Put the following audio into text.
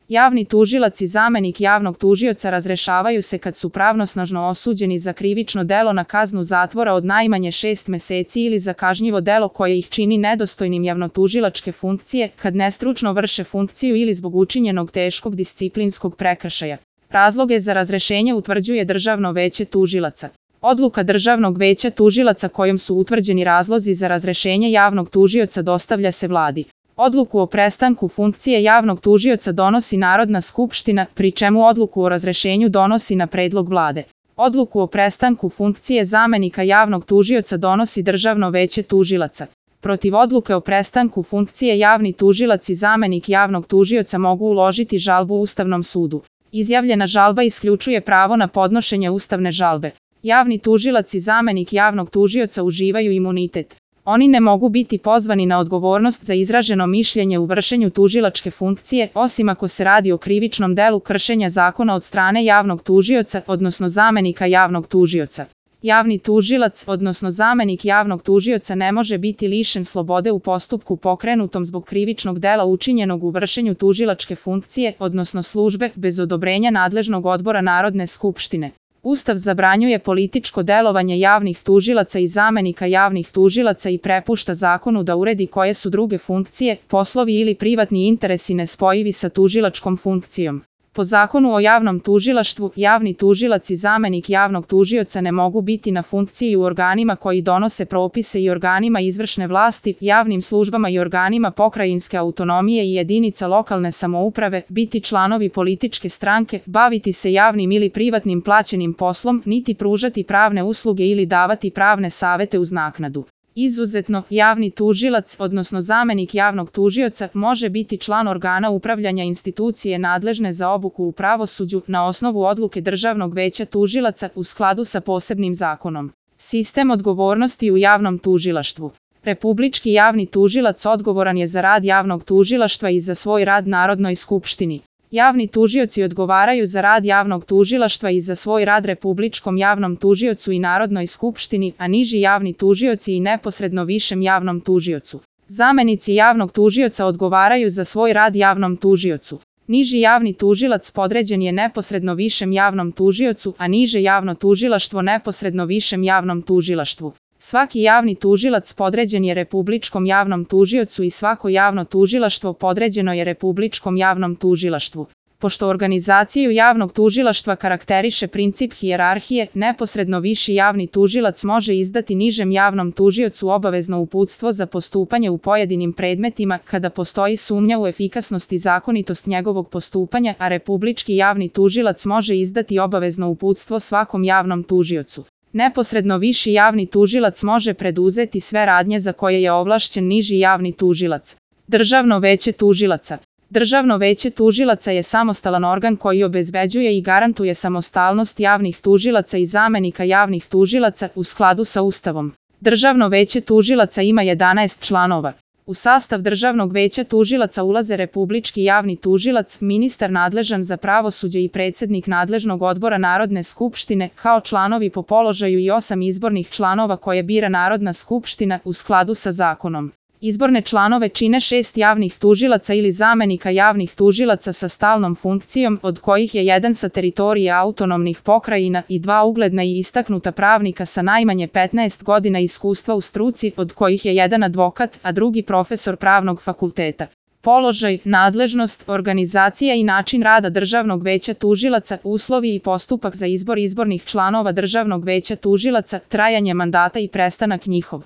Javni tužilac i zamenik javnog tužioca razrešavaju se kad su pravnosnažno osuđeni za krivično delo na kaznu zatvora od najmanje 6 meseci ili za kažnjivo delo koje ih čini nedostojnim javnotužilačke funkcije, kad nestručno vrše funkciju ili zbog učinjenog teškog disciplinskog prekršaja. Razloge za razrešenje utvrđuje Državno veće tužilaca. Odluka Državnog veća tužilaca kojom su utvrđeni razlozi za razrešenje javnog tužioca dostavlja se Vladi. Odluku o prestanku funkcije javnog tužioca donosi Narodna skupština, pri čemu odluku o razrešenju donosi na predlog Vlade. Odluku o prestanku funkcije zamenika javnog tužioca donosi Državno veće tužilaca. Protiv odluke o prestanku funkcije javni tužilac i zamenik javnog tužioca mogu uložiti žalbu Ustavnom sudu. Izjavljena žalba isključuje pravo na podnošenje ustavne žalbe. Javni tužilac i zamenik javnog tužioca uživaju imunitet. Oni ne mogu biti pozvani na odgovornost za izraženo mišljenje u vršenju tužilačke funkcije, osim ako se radi o krivičnom delu kršenja zakona od strane javnog tužioca, odnosno zamenika javnog tužioca. Javni tužilac, odnosno zamenik javnog tužioca ne može biti lišen slobode u postupku pokrenutom zbog krivičnog dela učinjenog u vršenju tužilačke funkcije, odnosno službe, bez odobrenja nadležnog odbora Narodne skupštine. Ustav zabranjuje političko delovanje javnih tužilaca i zamenika javnih tužilaca i prepušta zakonu da uredi koje su druge funkcije, poslovi ili privatni interesi nespojivi sa tužilačkom funkcijom. Po Zakonu o javnom tužilaštvu, javni tužilac i zamenik javnog tužioca ne mogu biti na funkciji u organima koji donose propise i organima izvršne vlasti, javnim službama i organima pokrajinske autonomije i jedinica lokalne samouprave, biti članovi političke stranke, baviti se javnim ili privatnim plaćenim poslom, niti pružati pravne usluge ili davati pravne savete uz naknadu. Izuzetno, javni tužilac, odnosno zamenik javnog tužioca, može biti član organa upravljanja institucije nadležne za obuku u pravosuđu na osnovu odluke Državnog veća tužilaca u skladu sa posebnim zakonom. Sistem odgovornosti u javnom tužilaštvu. Republički javni tužilac odgovoran je za rad javnog tužilaštva i za svoj rad Narodnoj skupštini. Javni tužioci odgovaraju za rad javnog tužilaštva i za svoj rad Republičkom javnom tužiocu i Narodnoj skupštini, a niži javni tužioci i neposredno višem javnom tužiocu. Zamenici javnog tužioca odgovaraju za svoj rad javnom tužiocu. Niži javni tužilac podređen je neposredno višem javnom tužiocu, a niže javno tužilaštvo neposredno višem javnom tužilaštvu. Svaki javni tužilac podređen je Republičkom javnom tužiocu i svako javno tužilaštvo podređeno je Republičkom javnom tužilaštvu. Pošto organizaciju javnog tužilaštva karakteriše princip hijerarhije, neposredno viši javni tužilac može izdati nižem javnom tužiocu obavezno uputstvo za postupanje u pojedinim predmetima kada postoji sumnja u efikasnost i zakonitost njegovog postupanja, a Republički javni tužilac može izdati obavezno uputstvo svakom javnom tužiocu. Neposredno viši javni tužilac može preduzeti sve radnje za koje je ovlašćen niži javni tužilac. Državno veće tužilaca. Državno veće tužilaca je samostalan organ koji obezbeđuje i garantuje samostalnost javnih tužilaca i zamenika javnih tužilaca u skladu sa Ustavom. Državno veće tužilaca ima 11 članova. U sastav Državnog veća tužilaca ulaze Republički javni tužilac, ministar nadležan za pravosuđe i predsednik nadležnog odbora Narodne skupštine, kao članovi po položaju i 8 izbornih članova koje bira Narodna skupština u skladu sa zakonom. Izborne članove čine 6 javnih tužilaca ili zamenika javnih tužilaca sa stalnom funkcijom, od kojih je jedan sa teritorije autonomnih pokrajina i 2 ugledna i istaknuta pravnika sa najmanje 15 godina iskustva u struci, od kojih je jedan advokat, a drugi profesor pravnog fakulteta. Položaj, nadležnost, organizacija i način rada Državnog veća tužilaca, uslovi i postupak za izbor izbornih članova Državnog veća tužilaca, trajanje mandata i prestanak njihov.